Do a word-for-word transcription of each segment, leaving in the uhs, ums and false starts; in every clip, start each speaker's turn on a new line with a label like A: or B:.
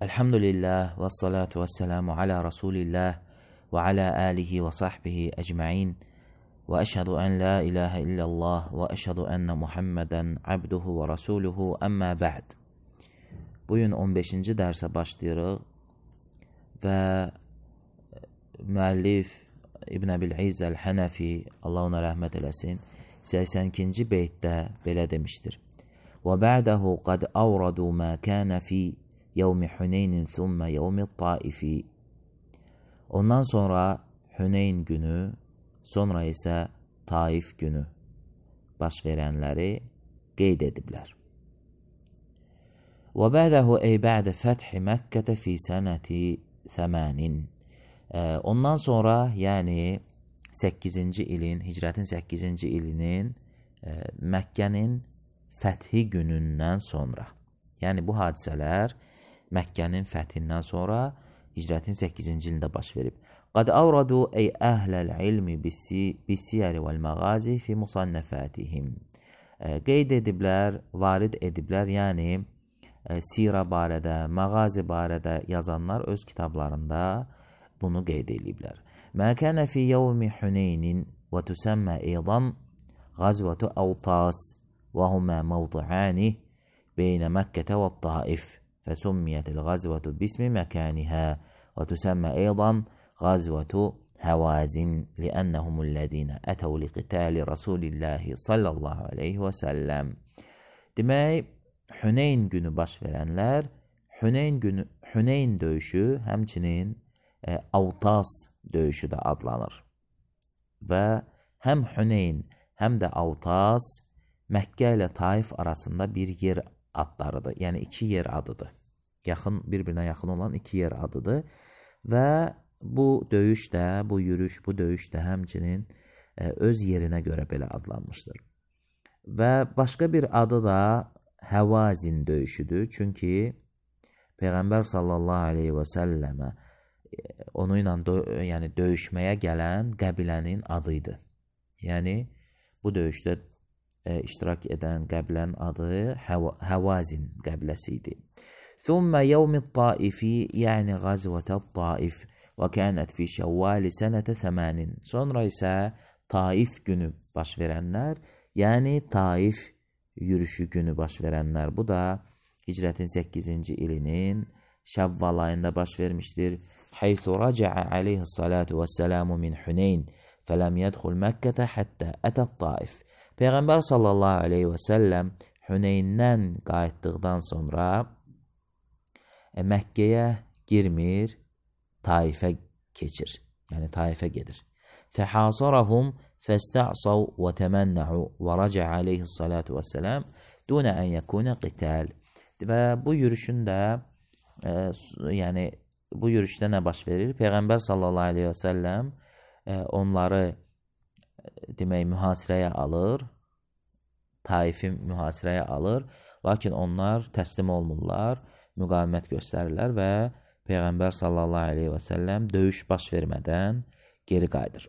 A: Elhamdülillah ve salatu ve selamu ala Resulillah ve ala alihi ve sahbihi ecma'in ve eşhedü en la ilahe illallah ve eşhedü enne Muhammeden abduhu ve rasuluhu amma ba'd. Bugün on beşinci dərsə başlayırıq və müəllif İbn Əbil İzz Əl-Hənəfi, Allah ona rəhmət eləsin, səksən ikinci beytdə belə demişdir. Və ba'dahu qad awradu ma kana fi yevmi Hüneynin thumma yevmi Taifi. Ondan sonra Hüneyn günü, sonra isə Taif günü baş verənləri qeyd ediblər. Və ba'dahu ey ba'də fəthi Məkkətə fi sənəti thəmanin. Ondan sonra, yəni səkkizinci ilin, hicrətin səkkizinci ilinin Məkkənin fəthi günündən sonra. Yəni bu hadisələr Məkkənin fəthindən sonra hicrətin səkkizinci ilində baş verib. Qad avradu ey əhləl ilmi bis-siyər vəl-məğazi fi musannəfətihim. Qeyd ediblər, varid ediblər, yəni sirə barədə, məğazi barədə yazanlar öz kitablarında bunu qeyd ediblər. Mə kənə fi yevmi Hüneynin və tüsəmmə eydan qazvətu Əvtas və humə mevdu'ani beynə Məkkətə və Taif. فسميت الغزوة باسم مكانها وتسمى أيضا غزوة هوازن لأنهم الذين أتوا لقتال رسول الله صلى الله عليه وسلم. Demək, Hüneyn günü baş verənlər, Hüneyn günü, Hüneyn döyüşü həmçinin e, Avtas döyüşü də adlanır. Və həm Hüneyn, həm də Avtas Məkkə ilə Taif arasında bir yer adlarıdır. Yəni iki yer adıdır. Yaxın, bir-birinə yaxın olan iki yer adıdır. Və bu döyüş də, bu yürüş, bu döyüş də həmçinin e, öz yerinə görə belə adlanmışdır. Və başqa bir adı da Həvazin döyüşüdür. Çünki Peyğəmbər sallallahu aleyhi və səlləmə onu ilə dö yəni döyüşməyə gələn qəbilənin adıydı. Yəni bu döyüşdə E, iştirak edən qəbilənin adı Həvazin qəbiləsi idi. Thumma yevmi Taifi, yəni qazvətə Taif və kənət fi şəvvali sənətə thəmanin. Sonra isə Taif günü baş verənlər, yəni Taif yürüşü günü baş verənlər. Bu da hicrətin səkkizinci ilinin Şəvval ayında baş vermişdir. Haythu raca'a aleyhissalatu vəssalamu min Hüneyn fələm yədxul Məkkətə həttə ətət Taif. Peyğəmbər sallallahu aleyhi və səlləm Hüneyndən qayıtdıqdan sonra e, Məkkəyə girmir, Taifə keçir. Yəni Taifə gedir. Fəhasarahum fəstə'sav və təmənnə'u və raca aleyhissalatu vəssələm dunə ən yəkunə qital. Və bu yürüşün də e, yəni bu yürüşdə nə baş verir? Peyğəmbər sallallahu aleyhi və səlləm e, onları demək mühasirəyə alır, Taif'i mühasirəyə alır, lakin onlar təslim olmurlar, müqavimət göstərirlər və Peyğəmbər sallallahu aleyhi və səlləm döyüş baş vermədən geri qayıdır.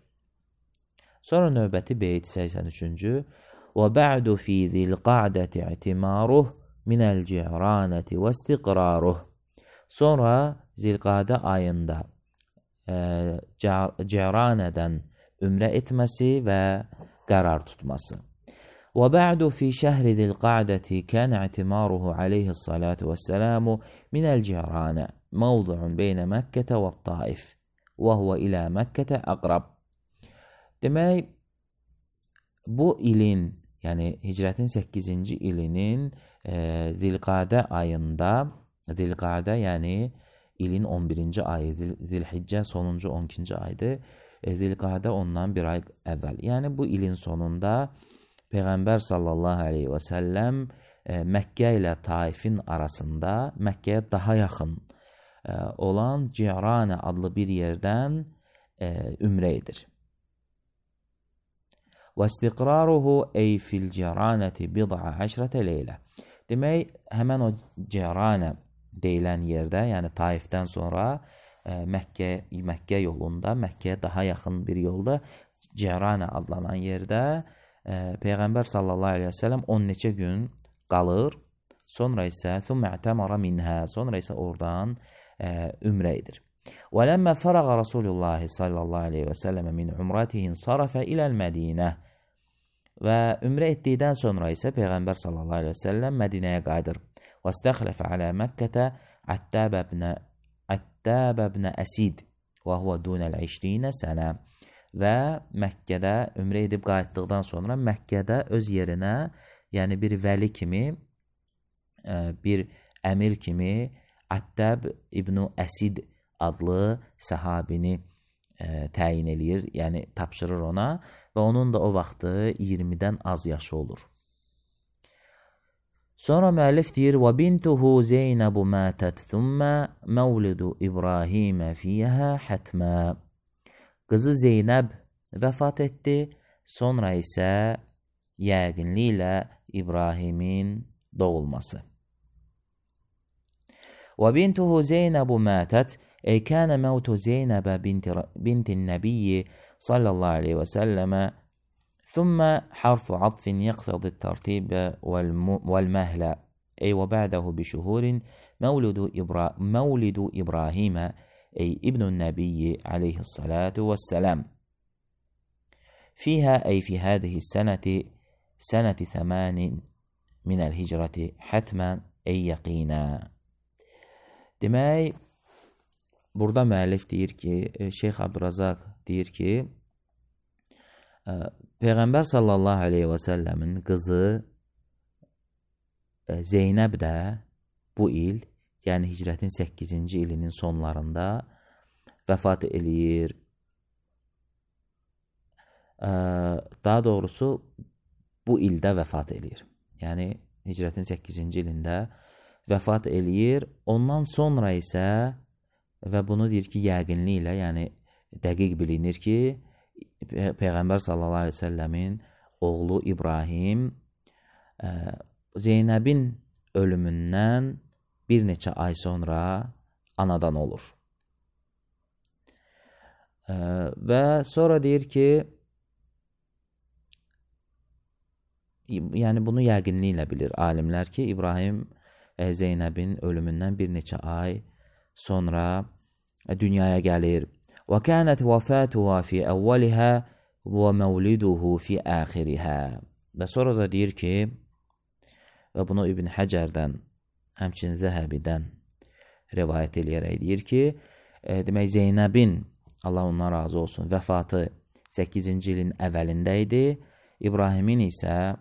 A: Sonra növbəti beyt səksən üçüncü və ba'du fi zilqa'dəti i'timaruh minəl ci'ranəti və istiqraruh. Sonra Zilqadə ayında e, Ci'ranədən ümrə etməsi və qərar tutması. Və ba'du fi şəhri zilqa'dəti kən i'timaruhu aleyhissalatu vəssəlamu minəl ci'ranə mavdu'un beynə Məkkətə və Taif və huvə ilə Məkkətə əqrab. Demək, bu ilin, yəni hicrətin səkkizinci ilinin e, Zilqadə ayında, Zilqadə yəni ilin on birinci ayı, Zilhiccə sonuncu on ikinci aydır. Zilqadə ondan bir ay əvvəl. Yəni bu ilin sonunda Peyğəmbər sallallahu aleyhi və səlləm e, Məkkə ilə Taifin arasında Məkkəyə daha yaxın e, olan Ci'ranə adlı bir yerdən e, ümrə edir. Və istiqraruhu ey fil Ci'ranəti bid'a əşrətə leylə. Demək, həmən o Ci'ranə deyilən yerdə, yəni Taifdən sonra Məkkə, Məkkə yolunda, Məkkəyə daha yaxın bir yolda Ci'ranə adlanan yerdə e, Peyğəmbər sallallahu aleyhi və səlləm on neçə gün qalır. sonra isə ثُمَّ اعْتَمَرَ مِنْهَا, sonra isə oradan ə, ümrə edir. وَلَمَّا فَرَغَ رَسُولُ اللّٰهِ sallallahu aleyhi və səlləmə min umratihin sarafə iləl Mədinə. Və ümrə etdikdən sonra isə Peyğəmbər sallallahu aleyhi və səlləm Mədinəyə qayıdır. وَاسْتَخْلَفَ عَلَى مَكَّةَ عَتَّابَ بْنَ أَسِيد وَهُوَ دُونَ الْعِشْرِينَ sənə. Və Məkkədə ümrə edib qayıtdıqdan sonra Məkkədə öz yerinə, yəni bir vəli kimi, bir əmir kimi Attab ibn Əsid adlı səhabini ə, təyin eləyir, yəni tapşırır ona və onun da o vaxtı iyirmidən az yaşı olur. Sonra müəllif deyir: "Və bintuhu Zeynəb mətət thumma mavlidu İbrahim fiha hatma." Qızı Zeynəb vəfat etdi, sonra isə yəqinliklə İbrahimin doğulması. Və bintuhu Zeynəb mətət, ey kənə məvtu Zeynəbə bintin nəbiyyi sallallahu aleyhi və səlləmə, thumma harfu atfin yəqfədi tərtibə vəl-məhlə, ey və bə'dəhu bişuhurin məvlidu İbrahimə, ey ibnun nəbiyyi aleyhissalatu vəssələm. Fiyhə, ey fi hədihi sənəti, sənəti thəmənin minəl hicrəti hətmən, ey yəqinə. Demək, burada müəllif deyir ki, Şeyx Abdurrazaq deyir ki, Peyğəmbər sallallahu aleyhi və səlləmin qızı Zeynəb də bu il, yəni hicrətin səkkizinci ilinin sonlarında vəfat eləyir. Daha doğrusu bu ildə vəfat eləyir. Yəni hicrətin səkkizinci ilində vəfat eləyir. Ondan sonra isə, və bunu deyir ki, yəqinliklə, yəni dəqiq bilinir ki, Peyğəmbər sallallahu aleyhi və səlləmin oğlu İbrahim ə, Zeynəbin ölümündən bir neçə ay sonra anadan olur. Ə, və sonra deyir ki, yəni bunu yəqinliklə bilir alimlər ki, İbrahim ə, Zeynəbin ölümündən bir neçə ay sonra ə, dünyaya gəlir. وَكَانَتْ وَفَاتُهَا فِي أَوَّلِهَا وَمَوْلِدُهُ فِي آخِرِهَا. Və sonra da deyir ki, və bunu İbn Həcərdən, həmçinin Zəhəbidən rivayət eləyərək deyir ki, e, demək Zeynəbin, Allah ondan razı olsun, vəfatı səkkizinci ilin əvvəlində idi. İbrahimin isə,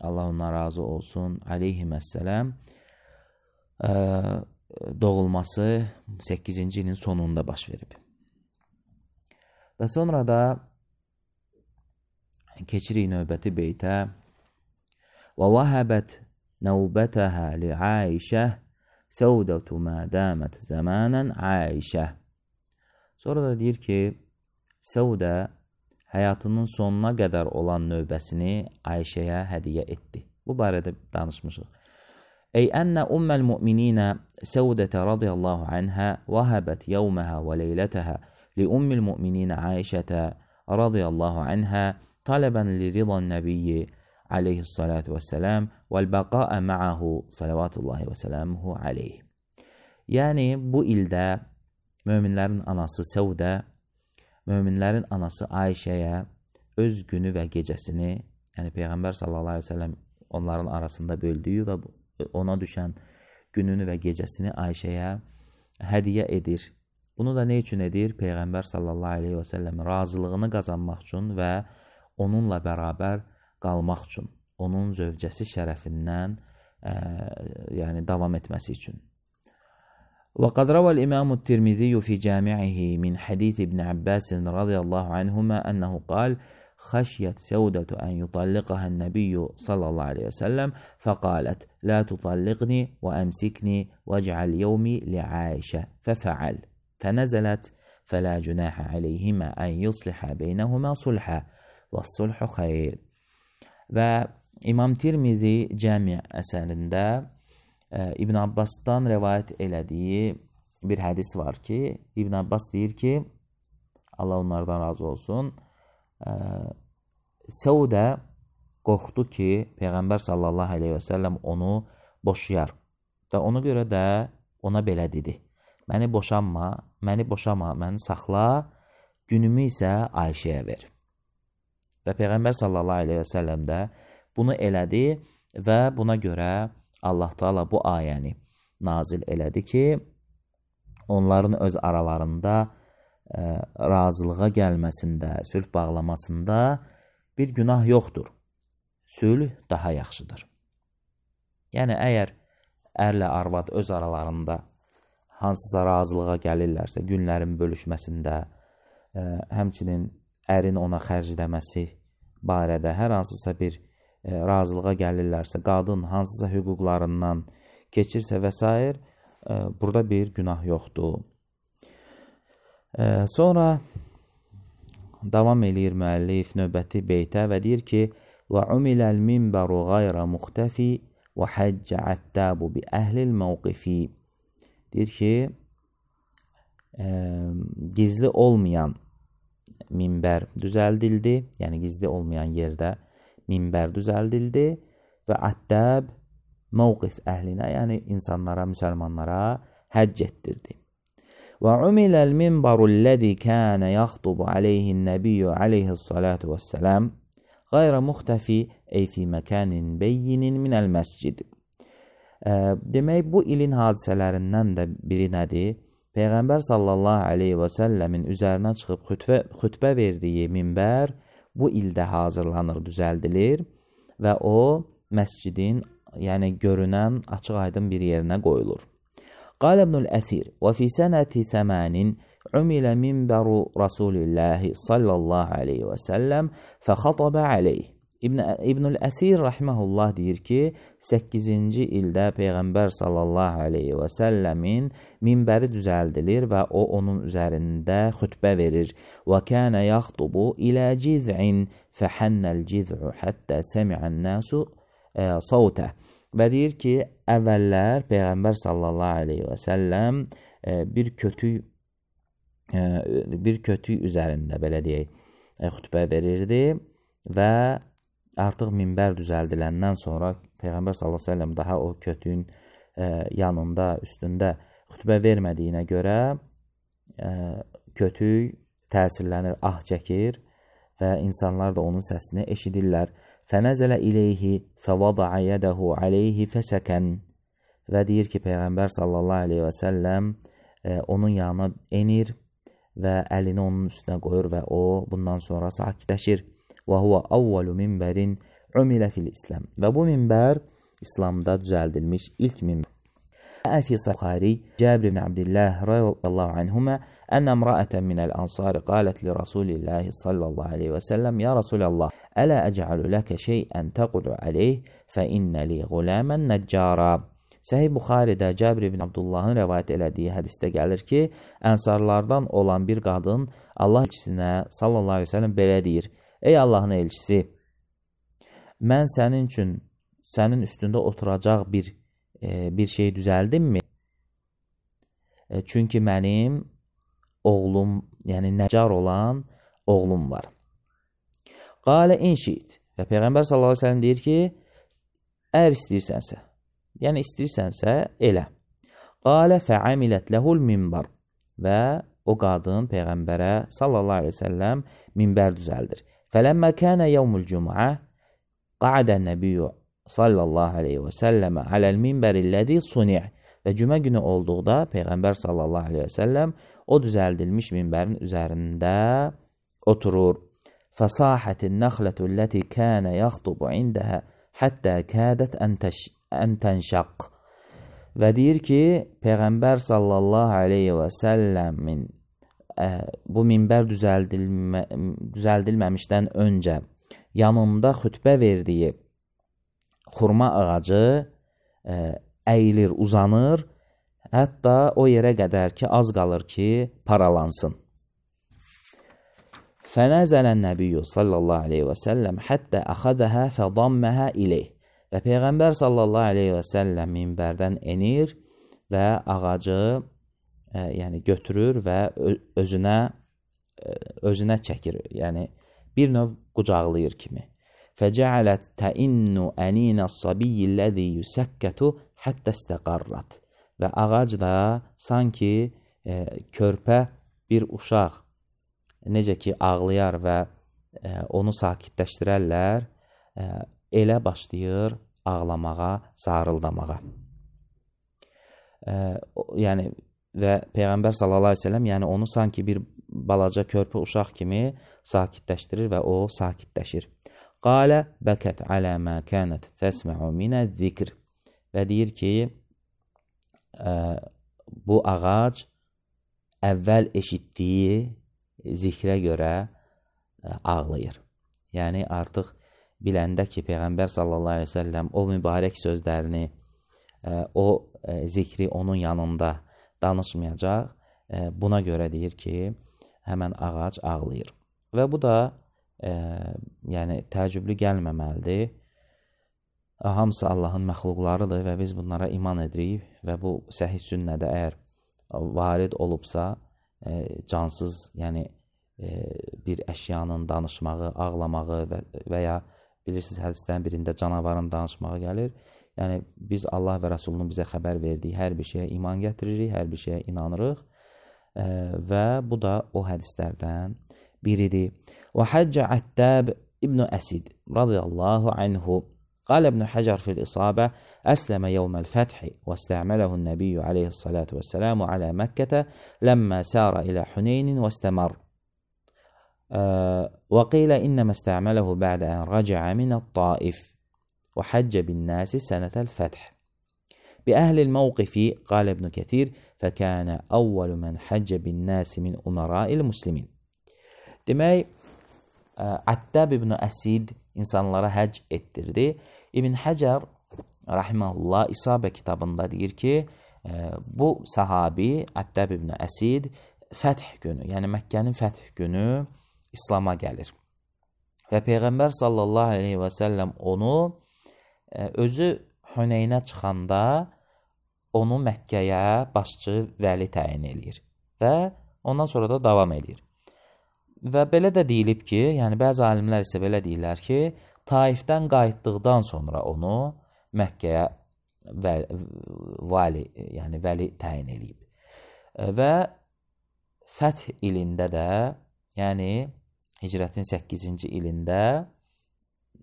A: Allah ondan razı olsun, aleyhissalam, e, doğulması səkkizinci ilin sonunda baş verib. Və sonra da keçirik növbəti beytə. وَوَهَبَتْ نَوْبَتَهَا لِعَائِشَةِ سَوْدَةُ مَا دَامَتْ زَمَانًا عَائِشَةِ. Sonra da deyir ki, Səudə həyatının sonuna qədər olan növbəsini Ayşəyə hədiyyə etdi. Bu barədə danışmışıq. Ey ənə ummel mu'mininə Səudətə radiyallahu anhə vəhəbət yevməhə və leylətəhə لأم المؤمنين عائشة رضي الله عنها طلبا لرضا النبي عليه الصلاة والسلام والبقاء معه صلوات الله وسلامه عليه. Yəni bu ildə möminlərin anası Səudə, möminlərin anası Ayşəyə öz günü və gecəsini, yəni Peyğəmbər sallallahu aleyhi ve sellem onların arasında böldüyü və ona düşən gününü və gecəsini Ayşəyə hədiyyə edir. Bunu da nə üçün edir? Peyğəmbər sallallahu aleyhi və səlləm razılığını qazanmaq üçün və onunla bərabər qalmaq üçün, onun zövcəsi şərəfindən ə, yəni davam etməsi üçün. وقد روى الإمام الترمذي في جامعه من حديث ابن عباس رضي الله عنهما أنه قال خشيت سودة أن يطلقها النبي صلى الله عليه وسلم فقالت لا تطلقني وأمسكني واجعل يومي لعائشة ففعل فنزلت فلا جناح عليهما أن يصلح بينهما صلحا والصلح خير. Və İmam Tirmizi Cəmi əsərində e, İbn Abbasdan rivayət elədiyi bir hədis var ki, İbn Abbas deyir ki, Allah onlardan razı olsun, e, Səudə qorxdu ki, Peyğəmbər sallallahu aleyhi və səlləm onu boşayar. Və ona görə də ona belə dedi: "Məni boşanma, məni boşama, məni saxla, günümü isə Ayşəyə ver." Və Peyğəmbər sallallahu əleyhi və səlləm də bunu elədi və buna görə Allah Taala bu ayəni nazil elədi ki, onların öz aralarında ə, razılığa gəlməsində, sülh bağlamasında bir günah yoxdur. Sülh daha yaxşıdır. Yəni, əgər ərlə arvad öz aralarında hansısa razılığa gəlirlərsə, günlərin bölüşməsində, ə, həmçinin ərin ona xərcləməsi barədə hər hansısa bir ə, razılığa gəlirlərsə, qadın hansısa hüquqlarından keçirsə və s. ə, burada bir günah yoxdur. Ə, sonra davam eləyir müəllif növbəti beytə və deyir ki, وَعُمِلَ الْمِنْبَرُ غَيْرَ مُخْتَفِ وَحَجَّ عَتَّابُ بِأَهْلِ الْمَوْقِفِ. Deyir ki, ə, gizli olmayan minbər düzəldildi, yəni gizli olmayan yerdə minbər düzəldildi və Attab mövqif əhlinə, yəni insanlara, müsəlmanlara həcc etdirdi. وَعُمِلَ الْمِنْبَرُ الَّذِي كَانَ يَخْطُبُ عَلَيْهِ النَّبِيُّ عَلَيْهِ الصَّلَاةُ وَالسَّلَامُ غَيْرَ مُخْتَفِ أي في مكان بين من المسجد. Demək, bu ilin hadisələrindən də biri nədir? Peyğəmbər sallallahu aleyhi və səlləmin üzərinə çıxıb xütbə, xütbə verdiyi minbər bu ildə hazırlanır, düzəldilir və o məscidin, yəni görünən açıq aydın bir yerinə qoyulur. Qal İbnül Əsir və fi sənəti səmənin umilə minbəru Rasulillahi sallallahu aleyhi və səlləm fəxatabə aleyh. İbn İbnül Əsir rahmehullah deyir ki, səkkizinci ildə Peyğəmbər sallallahu aleyhi və səlləmin minbəri düzəldilir və o onun üzərində xütbə verir. Və kənə yaxtubu ilə ciz'in fəhənnəl ciz'u həttə səmi'ən nəsu savtə. Və deyir ki, əvvəllər Peyğəmbər sallallahu aleyhi və səlləm bir kötü bir kötü üzərində, belə deyək, xütbə verirdi və artıq minbər düzəldiləndən sonra Peyğəmbər sallallahu əleyhi və səlləm daha o kötüyün ə, yanında, üstündə xütbə vermədiyinə görə ə, kötüy təsirlənir, ah çəkir və insanlar da onun səsini eşidirlər. Fənəzələ iləyhi fəvada'a yədəhu aleyhi fəsəkən. Və deyir ki, Peyğəmbər sallallahu əleyhi və səlləm ə, onun yanına enir və əlini onun üstünə qoyur və o bundan sonra sakitləşir. Və huwa avvalu minbərin umilə fil İslam. Və bu minbər İslamda düzəldilmiş ilk minbər. Əfi Buxari Cəbir ibn Abdillah radiyallahu anhuma ən imra'atan min al-ansar qalet li Rasulillah sallallahu alayhi və səlləm ya Rasulallah ələ əc'alu laka şey'an taqudu alayh fa inna li gulaman najjara. Səhih Buxaridə Cəbir ibn Abdullahın rəvayət elədiyi hədisdə gəlir ki, ənsarlardan olan bir qadın Allah elçisinə sallallahu alayhi və səlləm belə deyir: "Ey Allahın elçisi, mən sənin üçün sənin üstündə oturacaq bir e, bir şey düzəldimmi? E, çünki mənim oğlum, yəni nəcar olan oğlum var." Qalə inşit. Və Peyğəmbər sallallahu əleyhi və səlləm deyir ki, əgər istəyirsənsə, yəni istəyirsənsə elə. Qalə fəamilət ləhul minbar. Və o qadın Peyğəmbərə sallallahu əleyhi və səlləm minbər düzəldir. Fələmmə kənə yevmul cüm'ə qadə nəbiyyu sallallahu aleyhi və səlləmə aləl minbərilləzi suni'. Və cümə günü olduqda Peyğəmbər sallallahu aleyhi və səlləm o düzəldilmiş minbərin üzərində oturur. Fəsahətin nəxlətu ləti kənə yaxtubu indəhə həttə kədət ən tənşəq. Və deyir ki, Peyğəmbər sallallahu aleyhi və səlləmin bu minbər düzəldilmə, düzəldilməmişdən öncə yanında xütbə verdiyi xurma ağacı ə, əyilir, uzanır, hətta o yerə qədər ki, az qalır ki, paralansın. Fənəzələn nəbiyyü sallallahu aleyhi və səlləm həttə əxədəhə fədamməhə iləyh. Və Peyğəmbər sallallahu aleyhi və səlləm minbərdən enir və ağacı ə, yəni götürür və özünə ə, özünə çəkir. Yəni bir növ qucaqlayır kimi. Fəcəalət təinnu əninəs sabiyyilləzi yüsəkkətu həttə istəqarrat. Və ağac da sanki e, körpə bir uşaq necə ki ağlayar və e, onu sakitləşdirərlər, e, elə başlayır ağlamağa, zarıldamağa. E, yəni və Peyğəmbər sallallahu əleyhi və səlləm yəni onu sanki bir balaca körpə uşaq kimi sakitləşdirir və o sakitləşir. Qalə bəkət alə mə kənət təsmə'u minəz-zikr. Və deyir ki, ə, bu ağac əvvəl eşitdiyi zikrə görə ə, ağlayır. Yəni artıq biləndə ki, Peyğəmbər sallallahu əleyhi və səlləm o mübarək sözlərini, ə, o ə, zikri onun yanında danışmayacaq. Ə, buna görə deyir ki, həmən ağac ağlayır. Və bu da e, yəni təəccüblü gəlməməlidir. Hamısı Allahın məxluqlarıdır və biz bunlara iman edirik və bu səhih sünnədə əgər varid olubsa, e, cansız, yəni e, bir əşyanın danışmağı, ağlamağı və, və ya bilirsiniz hədislərin birində canavarın danışmağı gəlir. Yəni biz Allah və Rəsulunun bizə xəbər verdiyi hər bir şeyə iman gətiririk, hər bir şeyə inanırıq. Və bu da o hədislərdən biridir. Və Həccə Əttab İbn Əsid radiyallahu anhu qalə İbn Həcər fil İsabə əsləmə yevməl fəthi və istə'mələhu nəbiyyü aleyhissalatu vəssələmu alə Məkkətə ləmmə sərə ilə Hüneynin və istəmər. Və qilə innəmə istə'mələhu bə'də ən rəcəə minət Taif və həccə bin nəsi sənətəl fəth. بأهل الموقف قال ابن كثير فكان أول من حج بالناس من أمراء المسلمين. Demək, Əttab ibn Əsid insanlara həcc etdirdi. İbn Həcər rahimehullah İsabə kitabında deyir ki, bu sahabi Əttab ibn Əsid fəth günü, yəni Məkkənin fəth günü İslam'a gəlir. Və Peyğəmbər sallallahu aleyhi və səlləm onu özü Hüneynə çıxanda onu Məkkəyə başçı vəli təyin edir və ondan sonra da davam edir. Və belə də deyilib ki, yəni bəzi alimlər isə belə deyirlər ki, Taifdən qayıtdıqdan sonra onu Məkkəyə vəli, yəni vəli təyin edib. Və fəth ilində də, yəni hicrətin səkkizinci ilində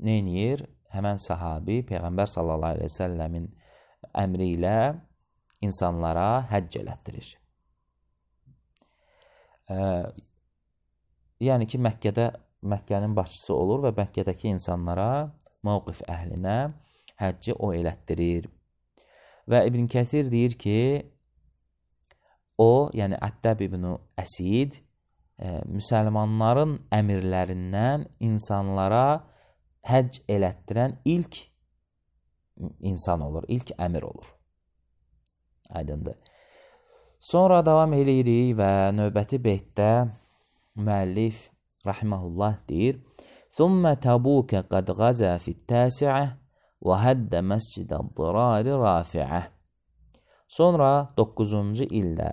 A: nə edir? Həmən sahabi Peyğəmbər sallallahu aleyhi və səlləmin əmri ilə insanlara həcc elətdirir. Ə, yəni ki, Məkkədə Məkkənin başçısı olur və Məkkədəki insanlara, mövqif əhlinə həcci o elətdirir. Və İbn Kəsir deyir ki, o, yəni Əttab ibn Əsid, ə, müsəlmanların əmirlərindən insanlara həcc elətdirən ilk insan olur, ilk əmir olur. Aydındır. Sonra davam eləyirik və növbəti beytdə müəllif rahimehullah deyir: "Thumma Tabuka qad ghaza fi't-tasi'ah və hadda mascid-ad-dirar rafi'ah." Sonra doqquzuncu ildə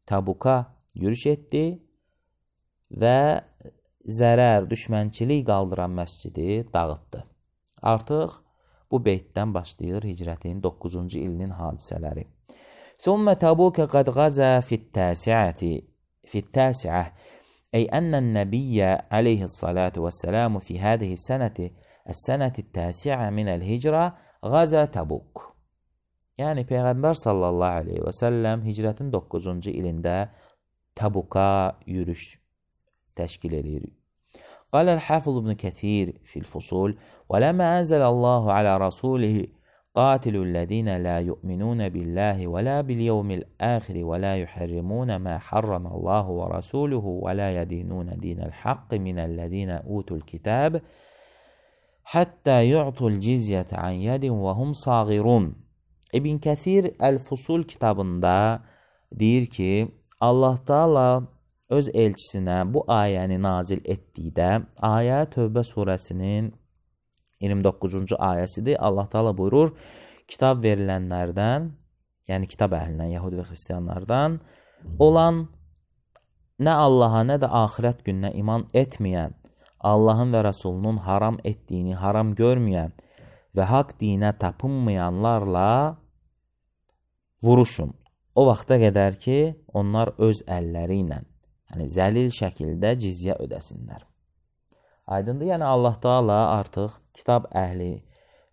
A: Tabuka yürüş etdi və zərər, düşmənçilik qaldıran məscidi dağıtdı. Artıq bu beytdən başlayır hicrətin doqquzuncu ilinin hadisələri. ثم تبوك قد غزا في التاسعة في التاسعة أي أن النبي عليه الصلاة والسلام في هذه السنة السنة التاسعة من الهجرة غزا Tabuk. Yəni Peyğəmbər sallallahu aleyhi və səlləm hicrətin doqquzuncu ilində Tabuka yürüş təşkil edir. قال الحافظ ابن كثير في الفصول ولما أنزل الله على رسوله قاتلوا الذين لا يؤمنون بالله ولا باليوم الآخر ولا يحرمون ما حرم الله ورسوله ولا يدينون دين الحق من الذين أوتوا الكتاب حتى يعطوا الجزية عن يد وهم صاغرون. İbn Kəsir Əl-Fusul kitabında deyir ki, Allah Taala öz elçisinə bu ayəni nazil etdikdə, ayə Tövbə surəsinin iyirmi doqquzuncu ayəsidir. Allah Taala buyurur, kitab verilənlərdən, yəni kitab əhlindən, Yəhudi və Xristianlardan olan, nə Allaha, nə də axirət gününə iman etməyən, Allahın və Rəsulunun haram etdiyini haram görməyən və haqq dinə tapınmayanlarla vuruşun. O vaxta qədər ki, onlar öz əlləri ilə, yəni zəlil şəkildə cizyə ödəsinlər. Aydındır, yəni Allah Taala artıq kitab əhli,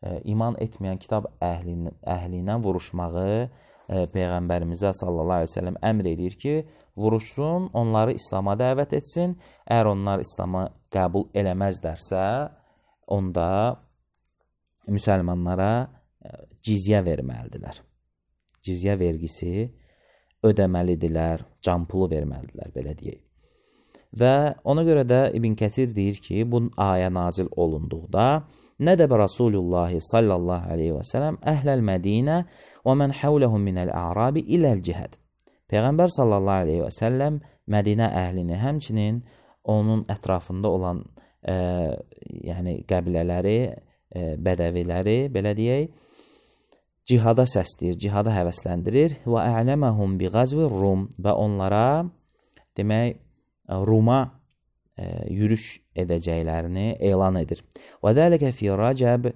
A: e, iman etməyən kitab əhli, əhli ilə vuruşmağı e, Peyğəmbərimizə sallallahu aleyhi ve sellem əmr edir ki, vuruşsun, onları İslam'a dəvət etsin. Əgər onlar İslam'a qəbul eləməzlərsə, onda müsəlmanlara cizyə verməlidirlər. Cizyə vergisi ödəməlidirlər, can pulu verməlidirlər, belə deyək. Və ona görə də İbn Kəsir deyir ki, bu ayə nazil olunduqda nədəbə Rasulullah sallallahu aleyhi və səlləm əhləl Mədinə və mən həvləhum minəl ə'rabi iləl cihəd. Peyğəmbər sallallahu aleyhi və səlləm Mədinə əhlini, həmçinin onun ətrafında olan e, yəni qəbilələri, e, bədəviləri, belə deyək, cihada səsləyir, cihada həvəsləndirir və ə'ləməhum bi qazvi Rum və onlara demək Ruma e, yürüş edəcəklərini elan edir. Və dəlikə fi Rəcəb e,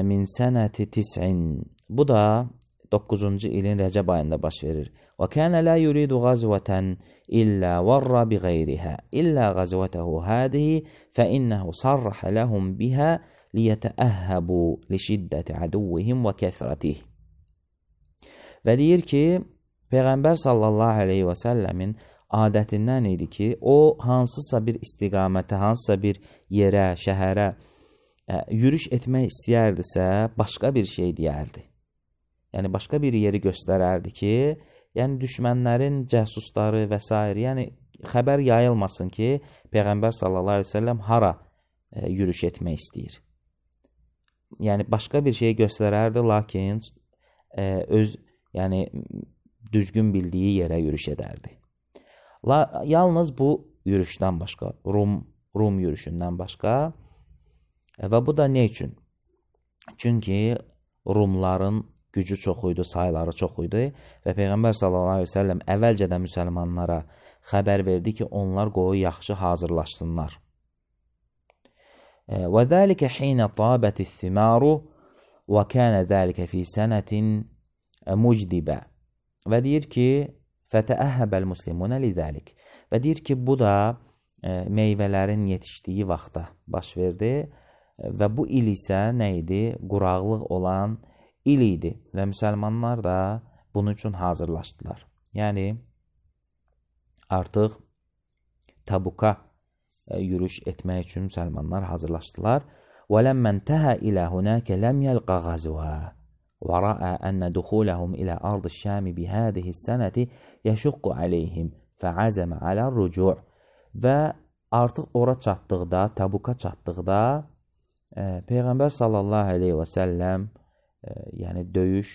A: min sənəti tis'in. Bu da doqquzuncu ilin Rəcəb ayında baş verir. Və kənə la yuridu qazvətən illə varra bi qeyrihə illə qazvətəhu hədihi fə innəhu sarrəhə ləhum bihə liyətəəhəbu li şiddəti əduvvihim və kəsrətih. Və deyir ki, Peyğəmbər sallallahu aleyhi və səlləmin adətindən idi ki, o hansısa bir istiqamətə, hansısa bir yerə, şəhərə ə, yürüş etmək istəyərdisə, başqa bir şey deyərdi. Yəni, başqa bir yeri göstərərdi ki, yəni düşmənlərin cəsusları və s. yəni xəbər yayılmasın ki, Peyğəmbər sallallahu aleyhi və səlləm hara ə, yürüş etmək istəyir. Yəni, başqa bir şey göstərərdi, lakin ə, öz, yəni, düzgün bildiyi yerə yürüş edərdi. La, yalnız bu yürüşdən başqa, Rum, Rum yürüşündən başqa və bu da ne üçün? Çünki Rumların gücü çox idi, sayları çox idi və Peyğəmbər sallallahu aleyhi ve sellem əvvəlcədən müsəlmanlara xəbər verdi ki, onlar qoyu yaxşı hazırlaşsınlar. Və dəlikə xinə tabəti thimaru və kənə dəlikə fi sənətin mucdibə. Və deyir ki, fətəəhəbəl muslimunə lidəlik. Və deyir ki, bu da e, meyvələrin yetişdiyi vaxtda baş verdi və bu il isə nə idi? Quraqlıq olan il idi və müsəlmanlar da bunun üçün hazırlaşdılar. Yəni, artıq Tabuka e, yürüş etmək üçün müsəlmanlar hazırlaşdılar. وَلَمَّنْ تَهَا إِلَى هُنَاكَ لَمْ يَلْقَ غَزْوًا وَرَأَى أَنَّ دُخُولَهُمْ إِلَى أَرْضِ الشَّامِ بِهَذِهِ السَّنَةِ يَشُقُّ عَلَيْهِمْ فَعَزَمَ عَلَى الرُّجُوعِ. Və artıq ora çatdıqda, Tabuka çatdıqda e, Peyğəmbər sallallahu aleyhi və səlləm e, yəni döyüş,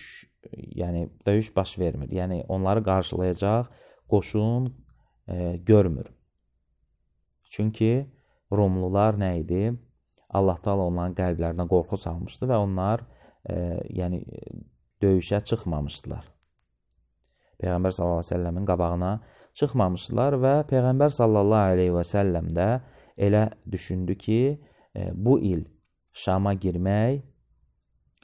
A: yəni döyüş baş vermir. Yəni onları qarşılayacaq qoşun e, görmür. Çünki Rumlular nə idi? Allah Taala onların qəlblərinə qorxu salmışdı və onlar e, yəni döyüşə çıxmamışdılar. Peyğəmbər sallallahu aleyhi və səlləmin qabağına çıxmamışdılar və Peyğəmbər sallallahu aleyhi və səlləm də elə düşündü ki, e, bu il Şama girmək,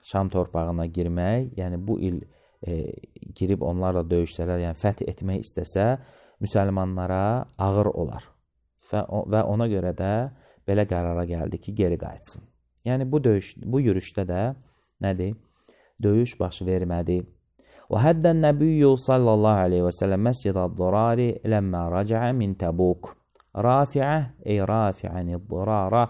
A: Şam torpağına girmək, yəni bu il e, girib onlarla döyüşsələr, yəni fəth etmək istəsə, müsəlmanlara ağır olar. Və, və ona görə də belə qərara gəldi ki, geri qayıtsın. Yəni, bu, döyüş, bu yürüşdə də nədir? Döyüş baş vermədi. Və həddən nəbiyyü sallallahu aleyhi və səlləm məscid-əd-dirari ləmmə rəcəə min Təbuk. Rafi'ə ey rafi'əni-dirara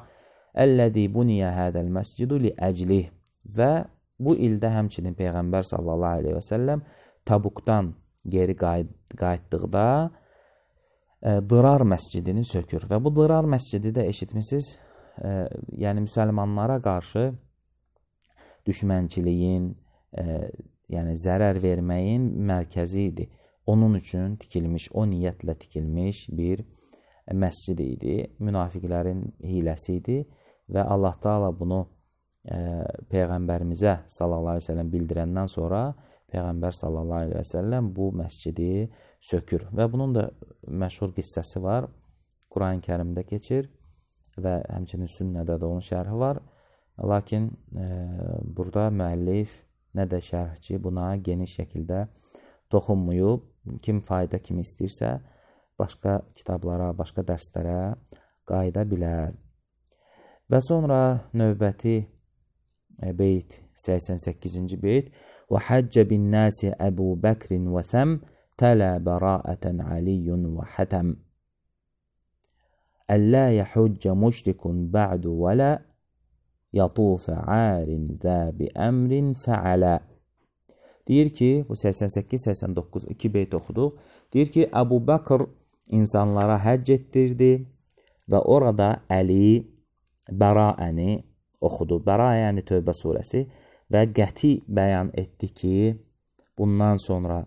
A: əlləzi buniyə hədəl məscidu li əclih. Və bu ildə həmçinin Peyğəmbər sallallahu aleyhi və səlləm Təbukdan geri qayıtdıqda Dirar məscidini sökür. Və bu Dirar məscidi də eşitmişsiniz, e, yəni müsəlmanlara qarşı düşmənçiliyin, e, yəni zərər verməyin mərkəzi idi. Onun üçün tikilmiş, o niyyətlə tikilmiş bir məscid idi. Münafiqlərin hiləsi idi və Allah Taala bunu e, Peyğəmbərimizə sallallahu aleyhi və səlləm bildirəndən sonra Peyğəmbər sallallahu aleyhi və səlləm bu məscidi sökür. Və bunun da məşhur qissəsi var. Quran-ı Kərimdə keçir və həmçinin sünnədə də onun şərhi var. Lakin e, burada müəllif nə də şərhçi buna geniş şəkildə toxunmuyub. Kim fayda kimi istəyirsə, başqa kitablara, başqa dərslərə qayıda bilər. Və sonra növbəti beyt, səksən səkkizinci beyt. Və həccə bin nəsi Əbu Bəkrin və thəm tələ bəraətən aliyyun və hətəm. Əllə yəhüccə müşrikun bə'du və lə yatufə ərin zə bi əmrin fəalə. Deyir ki, bu səksən səkkiz səksən doqquz iki beyt oxuduq. Deyir ki, Əbu Bəkr insanlara həcc etdirdi və orada Əli bəraəni oxudu. Bəra yəni Tövbə surəsi və qəti bəyan etdi ki, bundan sonra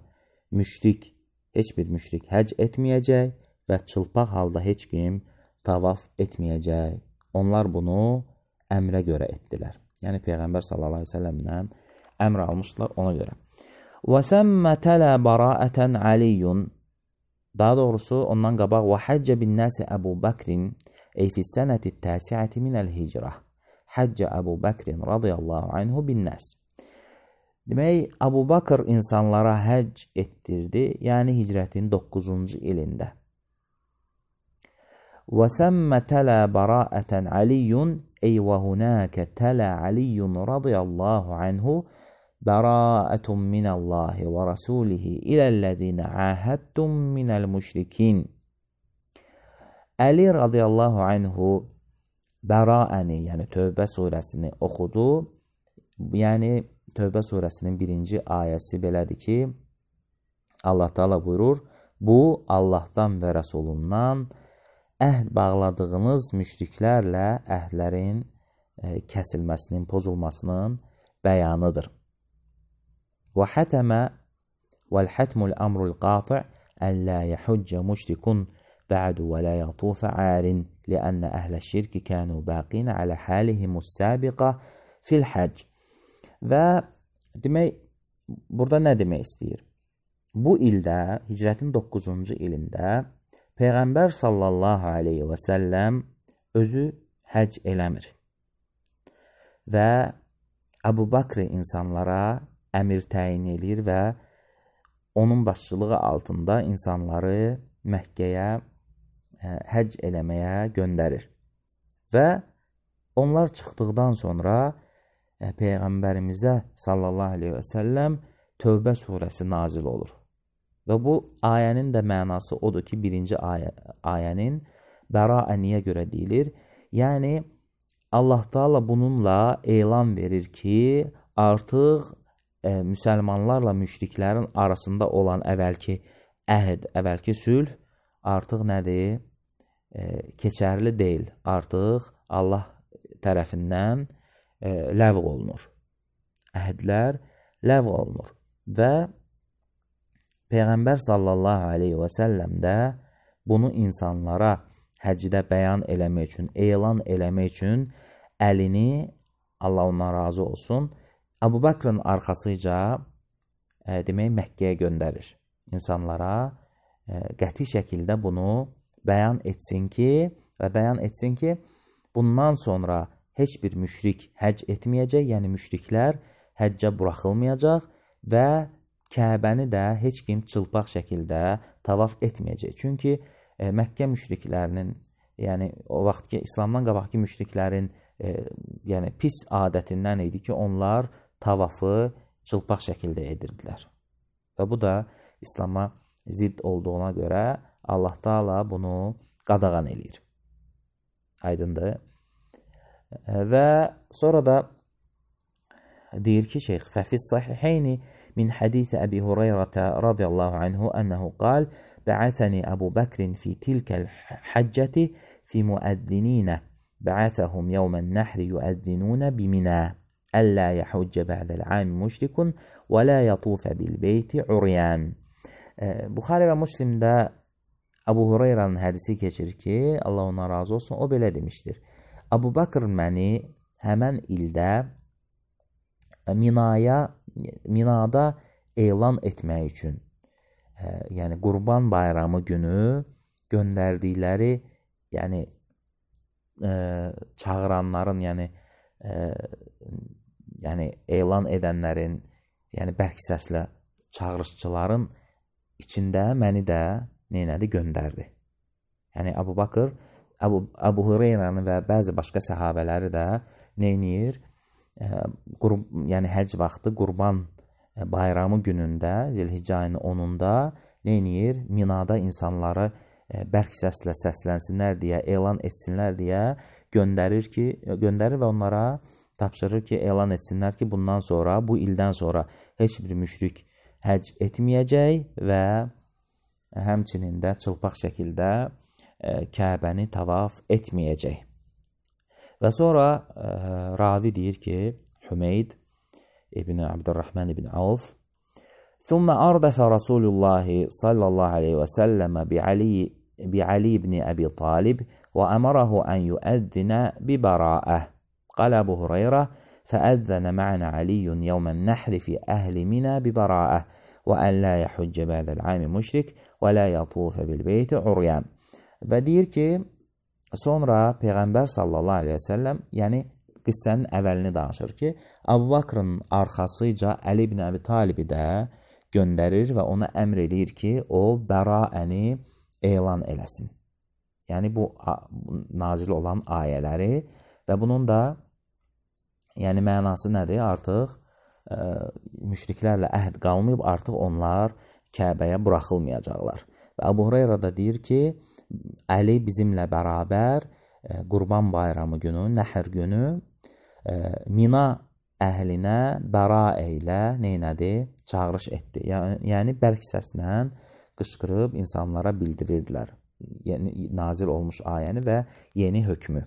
A: müşrik, heç bir müşrik həcc etməyəcək və çılpaq halda heç kim tavaf etməyəcək. Onlar bunu əmrə görə etdilər. Yəni Peyğəmbər sallallahu əleyhi və səlləmdən əmr almışdılar ona görə. Və səmmə tələ bəraətən aliyyun. Daha doğrusu ondan qabaq və həccə bin nəsi Əbu Bəkrin ey fissənəti təsiəti minəl hicrah. Həccə Əbu Bəkrin radiyallahu anhu bin nəs. Demək, Əbu Bəkr insanlara həcc etdirdi, yəni hicrətin doqquzuncu ilində. Və səmmə tələ bəraətən aliyyun ey və hunəkə tələ aliyyun radiyallahu anhu bəraətun minəllahi və rasulihi iləl-ləzinə əhəddum minəl müşrikin. Əli radiyallahu anhu bəraəni, yəni Tövbə surəsini oxudu. Yəni Tövbə surəsinin birinci ayəsi belədir ki, Allah Teala buyurur, bu Allahdan və Rəsulundan əhd bağladığınız müşriklərlə əhdlərin e, kəsilməsinin, pozulmasının bəyanıdır. Və hətəmə vəl-hətmul əmrul qati' əllə yəhüccə müşrikun bə'du və lə yətufə ərin liənnə əhlə şirki kənu bəqinə alə həlihimus səbiqə fil həcc. Və demək, burada nə demək istəyir? Bu ildə, hicrətin doqquzuncu ilində Peyğəmbər sallallahu aleyhi və səlləm özü həcc eləmir. Və Əbu Bəkr insanlara əmir təyin edir və onun başçılığı altında insanları Məkkəyə həcc eləməyə göndərir. Və onlar çıxdıqdan sonra Peyğəmbərimizə sallallahu aleyhi və səlləm Tövbə surəsi nazil olur. Və bu ayənin də mənası odur ki, birinci ayə, ayənin bəraəniyə görə deyilir. Yəni, Allah Teala bununla elan verir ki, artıq e, müsəlmanlarla müşriklərin arasında olan əvvəlki əhd, əvvəlki sülh artıq nədir? E, keçərli deyil. Artıq Allah tərəfindən e, ləğv olunur. Əhdlər ləğv olunur. Və Peyğəmbər sallallahu aleyhi və səlləm də bunu insanlara həcdə bəyan eləmək üçün, elan eləmək üçün əlini, Allah ondan razı olsun, Əbu Bəkrin arxasıca e, demək Məkkəyə göndərir. İnsanlara e, qəti şəkildə bunu bəyan etsin ki, və bəyan etsin ki, bundan sonra heç bir müşrik həcc etməyəcək, yəni müşriklər həccə buraxılmayacaq və Kəbəni də heç kim çılpaq şəkildə tavaf etməyəcək. Çünki e, Məkkə müşriklərinin, yəni o vaxt ki, İslamdan qabaqki müşriklərin e, yəni pis adətindən idi ki, onlar tavafı çılpaq şəkildə edirdilər. Və bu da İslama zidd olduğuna görə Allah Teala bunu qadağan eləyir. Aydındır. E, və sonra da deyir ki, şeyx, fəfiz sahiheyni من حديث أبي هريرة رضي الله عنه أنه قال بعثني أبو بكر في تلك الحجة في مؤذنين بعثهم يوم النحر يؤذنون بمنى ألا يحج بعد العام مشرك ولا يطوف بالبيت عريان. Buxari və Müslimdə Əbu Hureyranın hədisi keçir ki, Allah ona razı olsun, o belə demişdir. Əbu Bəkr məni həmən ildə Minaya Minada elan etmək üçün, e, yəni Qurban bayramı günü göndərdikləri, yəni e, çağıranların, yəni e, yəni elan edənlərin yəni bərk səslə çağırışçıların içində məni də neynədi? Göndərdi. Yəni Əbu Bakır, Əbu, Əbu Hüreyrəni və bəzi başqa səhabələri də neynir? E, qurb, yəni həcc vaxtı Qurban bayramı günündə, Zilhiccə ayının onunda neynir? Minada insanları e, bərk səslə səslənsinlər deyə, elan etsinlər deyə göndərir ki, göndərir və onlara tapşırır ki, elan etsinlər ki, bundan sonra, bu ildən sonra heç bir müşrik həcc etməyəcək və həmçinin də çılpaq şəkildə e, Kəbəni tavaf etməyəcək. Və sonra e, ravi deyir ki, Hümeyd İbn Abdurrahman ibn Avf ثم أردف رسول الله صلى الله عليه وسلم بعلي بعلي بن أبي طالب وأمره أن يؤذن ببراءة. قال أبو هريرة فأذن معنا علي يوم النحر في أهل منى ببراءة وأن لا يحج بعد العام مشرك ولا يطوف بالبيت عريان. Və deyir ki, sonra Peyğəmbər sallallahu aleyhi və səlləm, yəni qıssənin əvvəlini danışır ki, Əbu Bakrın arxasıca Əli ibn Əbi Talibi də göndərir və ona əmr edir ki, o bəraəni elan eləsin. Yəni bu nazil olan ayələri və bunun da yəni mənası nədir? Artıq ə, müşriklərlə əhd qalmayıb, artıq onlar Kəbəyə buraxılmayacaqlar. Və Əbu Hüreyrə də deyir ki, Əli bizimlə bərabər ə, Qurban bayramı günü, Nəhr günü ə, Mina əhlinə bəraə ilə neynədi? Çağırış etdi. Yəni, yəni bərk səslə qışqırıb insanlara bildirirdilər. Yəni nazil olmuş ayəni və yeni hökmü.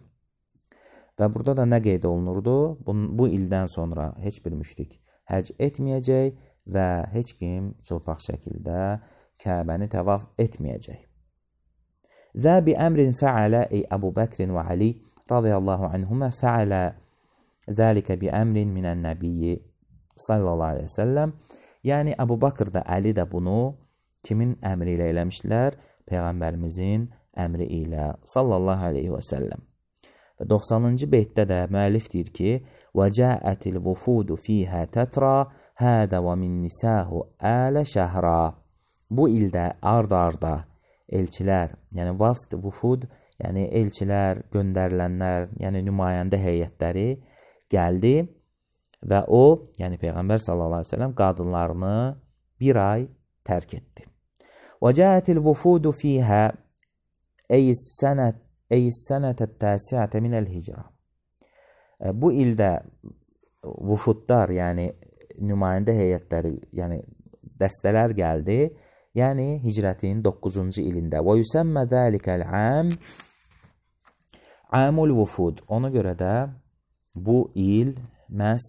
A: Və burada da nə qeyd olunurdu? Bu, bu ildən sonra heç bir müşrik həcc etməyəcək və heç kim çılpaq şəkildə Kəbəni təvaf etməyəcək. Zə bi əmrin fəalə ey Əbu Bəkrin və Ali radiyallahu anhumə fəalə zəlikə bi əmrin minən nəbiyyi sallallahu aleyhi və səlləm. Yəni Əbu Bakır da, Əli də bunu kimin əmri ilə eləmişlər? Peyğəmbərimizin əmri ilə sallallahu aleyhi və səlləm. Və doxsanıncı beytdə də müəllif deyir ki, وَجَاءَتِ الْوُفُودُ فِيهَا تَتْرَى هَذَا وَمِنْ نِسَاهُ آلَ شَهْرًا. Bu ildə ard-arda elçilər, yəni vafd, vufud, yəni elçilər, göndərilənlər, yəni nümayəndə heyətləri gəldi və o, yəni Peyğəmbər sallallahu aleyhi ve sellem qadınlarını bir ay tərk etdi. وَجَاءَتِ الْوُفُودُ فِيهَا أي السنة أي السنة التاسعة من الهجرة. Bu ildə vufudlar, yəni nümayəndə heyətləri, yəni dəstələr gəldi. Yəni hicrətin doqquzuncu ilində. Və yüsəmmə zəlikəl əm amul vufud. Ona görə də bu il məhz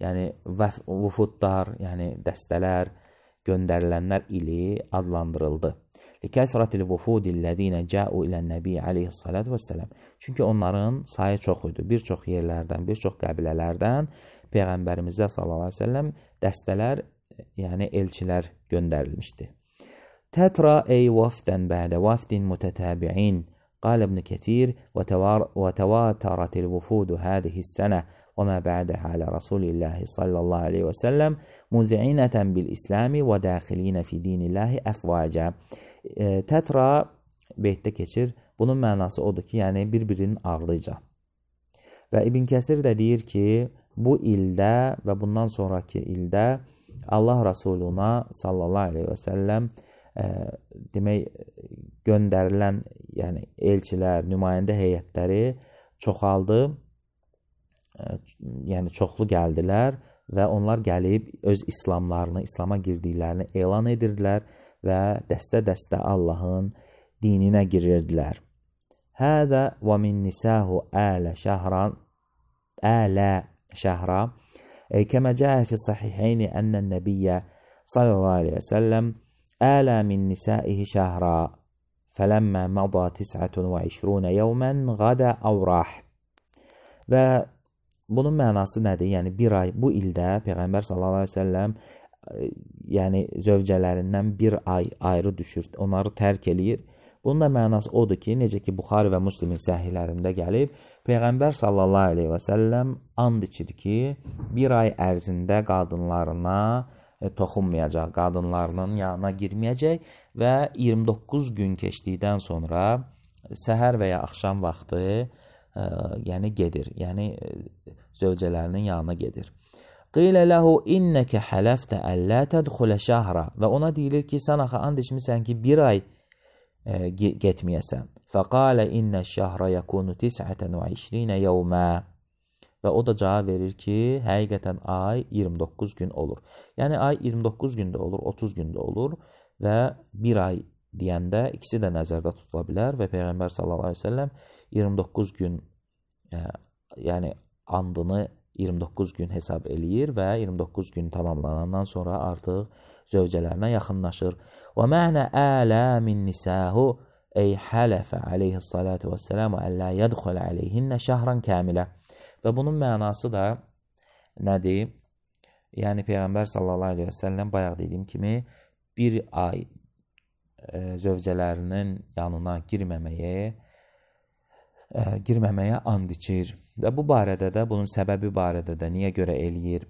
A: yəni vufudlar, yəni dəstələr, göndərilənlər ili adlandırıldı. Likəsratil vufudillezine ca'u ilən-nəbi aleyhissalatu vesselam. Çünki onların sayı çox idi. Bir çox yerlərdən, bir çox qəbilələrdən Peyğəmbərimizə sallallahu əleyhi və səlləm dəstələr, yəni elçilər göndərilmişdi. Tətra ey vafdən bədə vafdin mütətəbi'in. قال ابن كثير وتواترت الوفود هذه السنة وما بعدها على رسول الله صلى الله عليه وسلم مذعنة بالإسلام وداخلين في دين الله أفواجا. Tətra beytdə keçir. Bunun mənası odur ki, yəni bir-birinin ardıca. Və İbn Kəsir də deyir ki, bu ildə və bundan sonraki ildə Allah Rasuluna sallallahu aleyhi və səlləm e, demək göndərilən, yəni elçilər, nümayəndə heyətləri çoxaldı, e, yəni çoxlu gəldilər və onlar gəlib öz İslamlarını, İslama girdiklərini elan edirdilər və dəstə-dəstə Allahın dininə girirdilər. Hədə və min nisahu ələ şəhran ələ şəhra kəmə cəə fi sahihəyni ənən nəbiyyə sallallahu aleyhi və səlləm ələ min nisaihi şəhra fələmmə məda tis'ətun və işrunə yevmən qadə əvrah. Və bunun mənası nədir? Yəni bir ay, bu ildə Peyğəmbər sallallahu aleyhi və səlləm yəni zövcələrindən bir ay ayrı düşür, onları tərk eləyir. Bunun da mənası odur ki, necə ki Buxari və Müslimin səhihlərində gəlib, Peyğəmbər sallallahu aleyhi və səlləm and içir ki, bir ay ərzində qadınlarına e, toxunmayacaq, qadınlarının yanına girməyəcək və iyirmi doqquz gün keçdikdən sonra səhər və ya axşam vaxtı e, yəni gedir, yəni e, zövcələrinin yanına gedir. Qilə ləhu innəkə hələftə əllə tədxulə şəhra və ona deyilir ki, sən axı and içmirsən ki, bir ay e, getməyəsən. Fəqalə innə şəhra yəkunu tis'ətən və iyirmə yevmə və o da cavab verir ki, həqiqətən ay iyirmi doqquz gün olur. Yəni ay iyirmi doqquz gündə olur, otuz gündə olur və bir ay deyəndə ikisi də nəzərdə tutula bilər və Peyğəmbər sallallahu əleyhi və səlləm iyirmi doqquz gün e, yəni andını iyirmi doqquz gün hesab eləyir və iyirmi doqquz gün tamamlanandan sonra artıq zövcələrinə yaxınlaşır. Və mənə ələ min nisəhu ey hələfə aleyhissalatu vəssəlamu əllə yədxulə aleyhinnə şəhran kəmilə. Və bunun mənası da nədir? Yəni Peyğəmbər sallallahu aleyhi və səlləm bayaq dediyim kimi bir ay e, zövcələrinin yanına girməməyə e, girməməyə and içir. Və bu barədə də, bunun səbəbi barədə də niyə görə eləyir,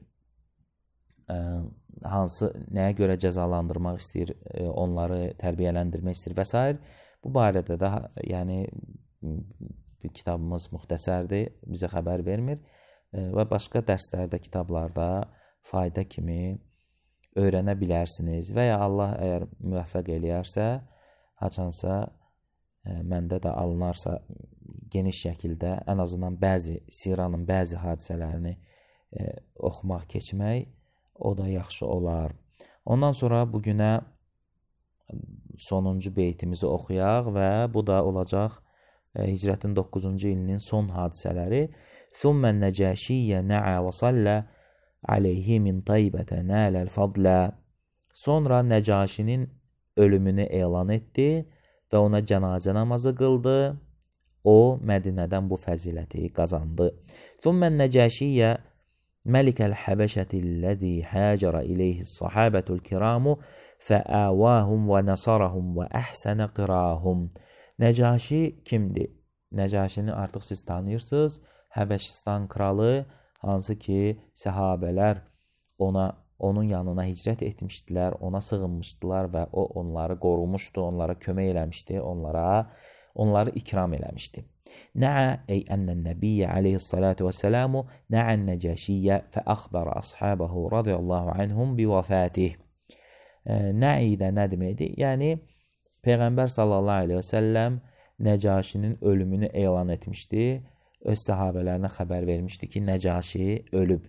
A: e, hansı, nəyə görə cəzalandırmaq istəyir, e, onları tərbiyələndirmək istəyir və s. Bu barədə də, yəni, kitabımız müxtəsərdir, bizə xəbər vermir e, və başqa dərslərdə, kitablarda fayda kimi öyrənə bilərsiniz və ya Allah əgər müvəffəq eləyərsə, haçansa e, məndə də alınarsa geniş şəkildə ən azından bəzi siranın bəzi hadisələrini e, oxumaq, keçmək, o da yaxşı olar. Ondan sonra bugünə sonuncu beytimizi oxuyaq və bu da olacaq e, hicrətin doqquzuncu ilinin son hadisələri. Thumman nəcəşiyyə nəə və sallə aleyhi min taybətə nələl fadlə. Sonra Nəcaşinin ölümünü elan etdi və ona cənazə namazı qıldı. O, Mədinədən bu fəziləti qazandı. Thumman nəcəşiyyə məlikəl həbəşətilləzi həcərə iləyhi sahabətul kiramu fəəvahum və nəsarahum və əhsənə qirahum. Nəcaşi kimdir? Nəcaşini artıq siz tanıyırsınız. Həbəşistan kralı, hansı ki səhabələr ona, onun yanına hicrət etmişdilər, ona sığınmışdılar və o onları qorumuşdu, onlara kömək eləmişdi, onlara, onları ikram eləmişdi. Nəə ey ənnən nəbiyyə aleyhissalatu vəssəlamu nəən nəcəşiyyə fəəxbərə ashabəhu radiyallahu anhum bi vəfatih. Nə'i də nə deməkdir? Yəni, Peyğəmbər sallallahu aleyhi və səlləm Nəcaşinin ölümünü elan etmişdi. Öz səhabələrinə xəbər vermişdi ki, Nəcaşi ölüb.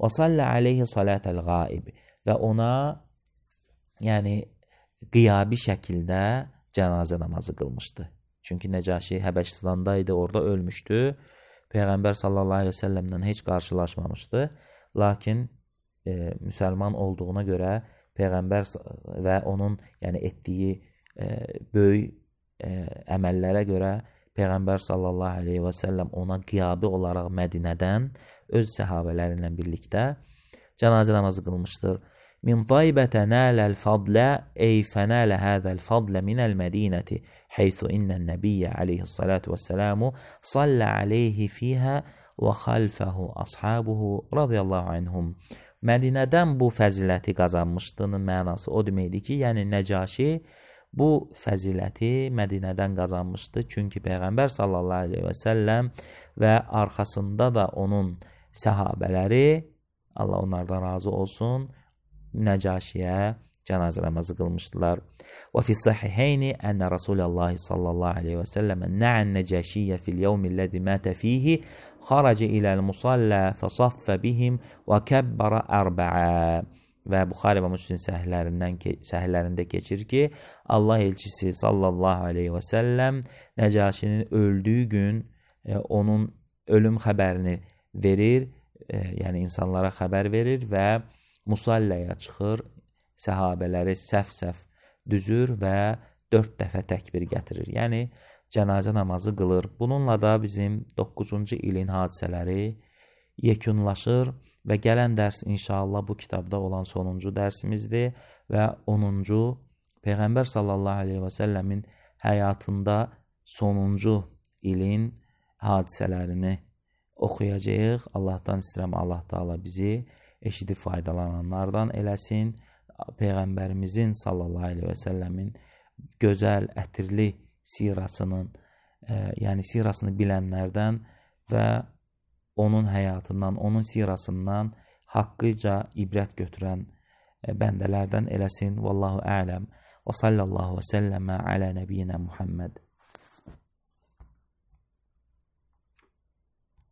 A: Və sallə aleyhi salətəl qaib və ona yəni qiyabi şəkildə cənazə namazı qılmışdı. Çünki Nəcaşi Həbəşistanda idi, orada ölmüşdü. Peyğəmbər sallallahu aleyhi və səlləmdən heç qarşılaşmamışdı. Lakin e, müsəlman olduğuna görə Peyğəmbər və onun yəni etdiyi e, böyük e, əməllərə görə Peyğəmbər sallallahu aleyhi və səlləm ona qiyabi olaraq Mədinədən öz səhabələri ilə birlikdə cənazə namazı qılmışdır. Min taybətə nələl fadlə ey fənələ həzəl fadlə minəl mədinəti heythu innən nəbiyyə aleyhissalatu vəssəlamu sallə aleyhi fiyhə və xalfəhu ashabuhu radiyallahu anhum. Mədinədən bu fəziləti qazanmışdının mənası o deməkdir ki, yəni Nəcaşi bu fəziləti Mədinədən qazanmışdı. Çünki Peyğəmbər sallallahu aleyhi və səlləm və arxasında da onun səhabələri, Allah onlardan razı olsun, Nəcaşiyə cənazə namazı qılmışdılar. Və fi sahiheyni ənə Rasulallah sallallahu aleyhi və səlləm nə'ən Nəcaşiyyə fil yevmilləzi mətə fihi xaracə iləl musallə fəsaffə bihim və kəbbərə ərbəə. Və Buxari və Müslim səhihlərində keçir ki, Allah elçisi sallallahu aleyhi və səlləm Nəcaşinin öldüyü gün e, onun ölüm xəbərini verir, e, yəni insanlara xəbər verir və musalləyə çıxır, səhabələri səf-səf düzür və dörd dəfə təkbir gətirir. Yəni, cənazə namazı qılır. Bununla da bizim doqquzuncu ilin hadisələri yekunlaşır və gələn dərs inşallah bu kitabda olan sonuncu dərsimizdir və onuncu Peyğəmbər sallallahu aleyhi və səlləmin həyatında sonuncu ilin hadisələrini oxuyacağıq. Allahdan istəyirəm, Allah Taala bizi eşidib faydalananlardan eləsin. Peyğəmbərimizin sallallahu əleyhi və səlləmin gözəl, ətirli sirasının, e, yəni sirasını bilənlərdən və onun həyatından, onun sirasından haqqıca ibrət götürən e, bəndələrdən eləsin. Vallahu a'lam. Və sallallahu və səlləmə alə nəbiyyinə Muhammed.